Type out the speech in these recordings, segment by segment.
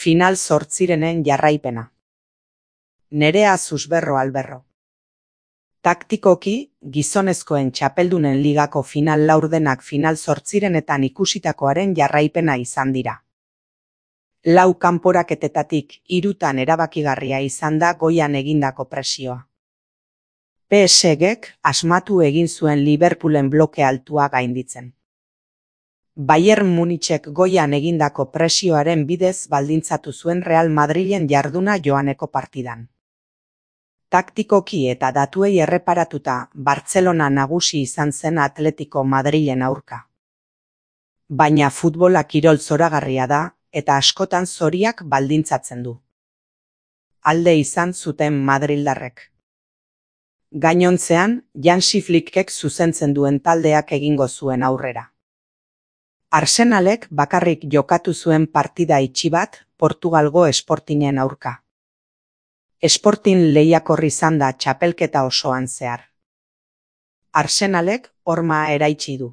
Final zortzirenen jarraipena. Nerea Susberro Alberro. Taktikoki, gizonezkoen txapeldunen ligako final laurdenak final zortzirenetan ikusitakoaren jarraipena izan dira. Lau kanporaketetatik 3 erabakigarria izan da goian egindako presioa. PSG-k asmatu egin zuen Liverpoolen bloke altua gainditzen. Bayern Munichek goian egindako presioaren bidez baldintzatu zuen Real Madrilen jarduna joaneko partidan. Taktikoki eta datuei erreparatuta Bartzelona nagusi izan zen Atletico Madrilen aurka. Baina futbola kirol zoragarria da eta askotan zoriak baldintzatzen du. Alde izan zuten madrildarrek. Gainontzean, Hansi Flickek zuzentzen duen taldeak egingo zuen aurrera. Arsenalek bakarrik jokatu zuen partida itxi bat Portugalgo Sportingen aurka. Sporting lehiakor izan da txapelketa osoan zehar. Arsenalek horma eraitsi du.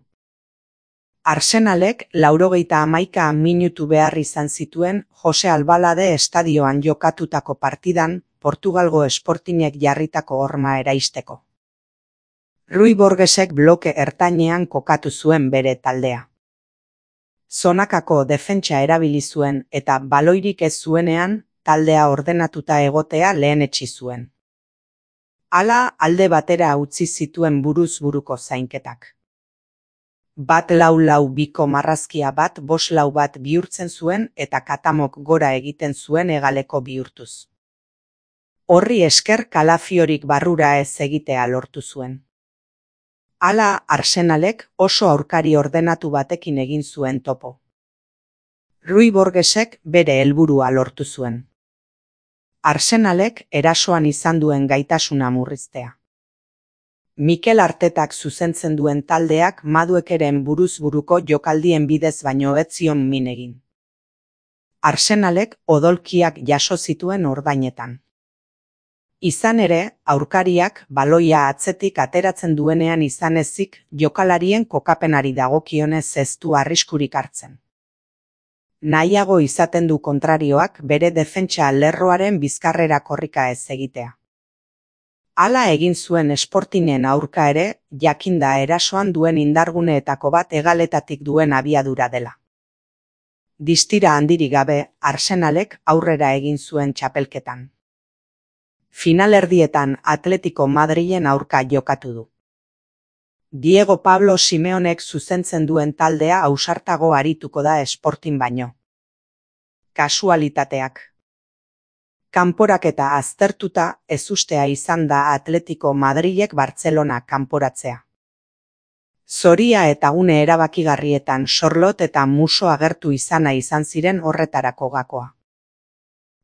Arsenalek 91 minutu behar izan zituen Jose Albalade estadioan jokatutako partidan Portugalgo Sportingek jarritako horma eraisteko. Rui Borgesek bloke ertainean kokatu zuen bere taldea. Zonakako defentsa erabili zuen eta baloirik ez zuenean taldea ordenatuta egotea lehenetsi zuen. Hala alde batera utzi zituen buruz buruko zainketak. 4-4-2 marrazkia 5-4 bihurtzen zuen eta Katamok gora egiten zuen hegaleko bihurtuz. Horri esker kalafiorik barrura ez egitea lortu zuen. Hala Arsenalek oso aurkari ordenatu batekin egin zuen topo. Rui Borgesek bere helburua lortu zuen. Arsenalek erasoan izan duen gaitasuna murriztea. Mikel Artetak zuzentzen duen taldeak Maduekeren buruz buruko jokaldien bidez baino ez zion min egin. Arsenalek odolkiak jaso zituen ordainetan. Izan ere, aurkariak baloia atzetik ateratzen duenean izan ezik jokalarien kokapenari dagokionez ez du arriskurik hartzen. Nahiago izaten du kontrarioak bere defentsa lerroaren bizkarrera korrika ez egitea. Hala egin zuen Sportingen aurka ere, jakinda erasoan duen indarguneetako bat hegaletatik duen abiadura dela. Distira handirik gabe, Arsenalek aurrera egin zuen txapelketan. Finalerdietan Atletico Madrilen aurka jokatu du. Diego Pablo Simeonek zuzentzen duen taldea ausartago arituko da Sporting baino. Kasualitateak. Kanporaketa aztertuta ezustea izan da Atletico Madrilek Bartzelona kanporatzea. Zoria eta une erabakigarrietan Sorlot eta Muso agertu izana izan ziren horretarako gakoa.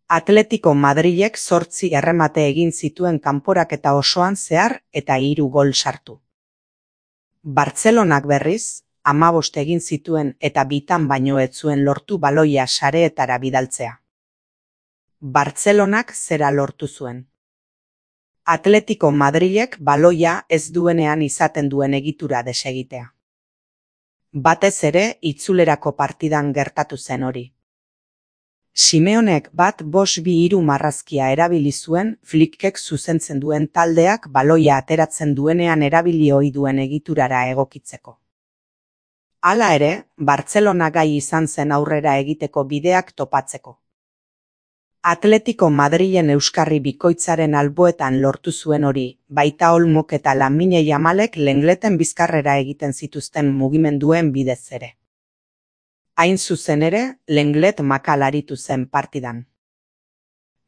Atletico Madrilek 8 erremate egin zituen kanporaketa osoan zehar eta 3 gol sartu. Bartzelonak berriz, 15 egin zituen eta bitan baino ez zuen lortu baloia sareetara bidaltzea. Bartzelonak zera lortu zuen. Atletico Madrilek baloia ez duenean izaten duen egitura desegitea. Batez ere itzulerako partidan gertatu zen hori. Simeonek 5-2-3 marrazkia erabili zuen Flickek zuzentzen duen taldeak baloia ateratzen duenean erabili ohi duen egiturara egokitzeko. Hala ere, Bartzelona gai izan zen aurrera egiteko bideak topatzeko. Atletico Madrilen euskarri bikoitzaren alboetan lortu zuen hori, baita Olmok eta Lamine Yamalek Lengleten bizkarrera egiten zituzten mugimenduen bidez ere. Hain zuzen ere, Lenglet makal aritu zen partidan.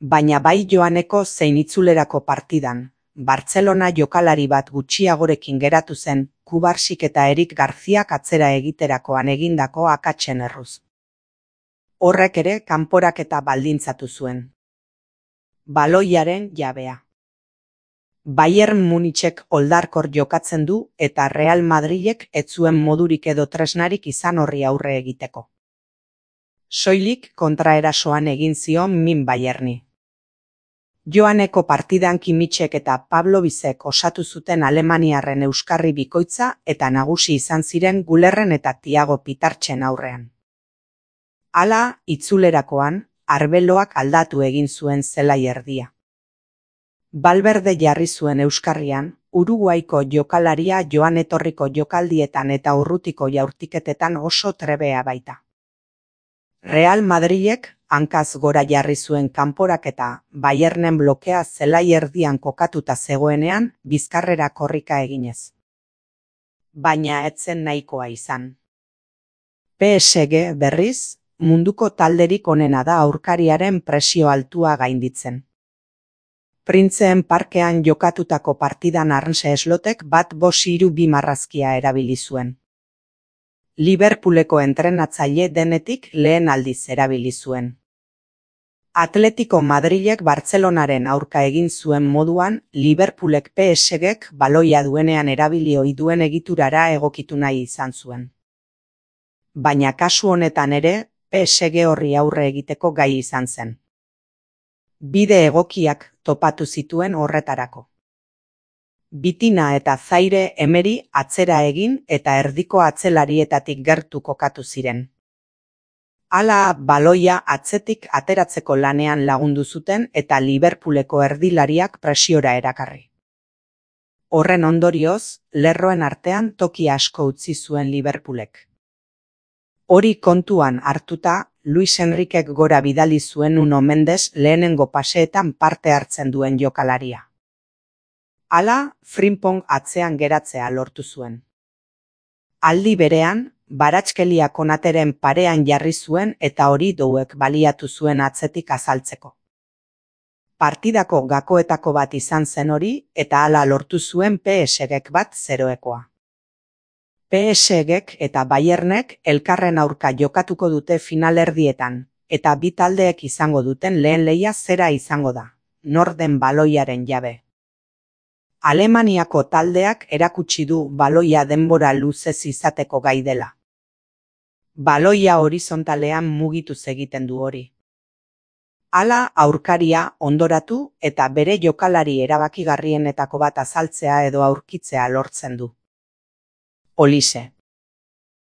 Baina bai joaneko zein itzulerako partidan, Bartzelona jokalari bat gutxiagorekin geratu zen, Kubarsik eta Erik Garziak atzera egiterakoan egindako akatsen erruz. Horrek ere kanporaketa baldintzatu zuen. Baloiaren jabea. Bayern Munichek oldarkor jokatzen du eta Real Madrilek ez zuen modurik edo tresnarik izan horri aurre egiteko. Soilik kontraerasoan egin zion min Bayerni. Joaneko partidan Kimichek eta Pablo Bizek osatu zuten alemaniarren euskarri bikoitza eta nagusi izan ziren Gulerren eta Thiago Pitartzen aurrean. Hala, itzulerakoan, arbeloak aldatu egin zuen zelai erdia. Valverde jarri zuen euskarrian, Uruguaiko jokalaria joan etorriko jokaldietan eta urrutiko jaurtiketetan oso trebea baita. Real Madrilek hankaz gora jarri zuen kanporaketa Bayernen blokea zelai erdian kokatuta zegoenean bizkarrera korrika eginez. Baina ez zen nahikoa izan. PSG berriz, munduko talderik onena da aurkariaren presio altua gainditzen. Printzeen parkean jokatutako partidan Arne Slotek 1-2 marrazkia erabili zuen. Liverpooleko entrenatzaile denetik lehen aldiz erabili zuen. Atletico Madrilek Bartzelonaren aurka egin zuen moduan, Liverpoolek PSG-ek baloia duenean erabili ohi duen egiturara egokitu nahi izan zuen. Baina kasu honetan ere, PSG horri aurre egiteko gai izan zen. Bide egokiak topatu zituen horretarako. Bitina eta Zaire Emery atzera egin eta erdiko atzelarietatik gertu kokatu ziren. Hala baloia atzetik ateratzeko lanean lagundu zuten eta Liverpooleko erdilariak presiora erakarri. Horren ondorioz, lerroen artean toki asko utzi zuen Liverpoolek. Hori kontuan hartuta, Luis Enriquek gora bidali zuen Nuno Mendes lehenengo paseetan parte hartzen duen jokalaria. Hala, Frimpong atzean geratzea lortu zuen. Aldi berean, Baratxkelia Konateren parean jarri zuen eta hori douek baliatu zuen atzetik azaltzeko. Partidako gakoetako bat izan zen hori eta hala lortu zuen PSG-ek 1-0-ekoa. PSG-ek eta Bayernek elkarren aurka jokatuko dute finalerdietan, eta bi taldeek izango duten lehen lehia zera izango da, nor den baloiaren jabe. Alemaniako taldeak erakutsi du baloia denbora luzez izateko gai dela. Baloia horizontalean mugituz egiten du hori. Hala aurkaria ondoratu eta bere jokalari erabakigarrienetako bat azaltzea edo aurkitzea lortzen du. Holixe.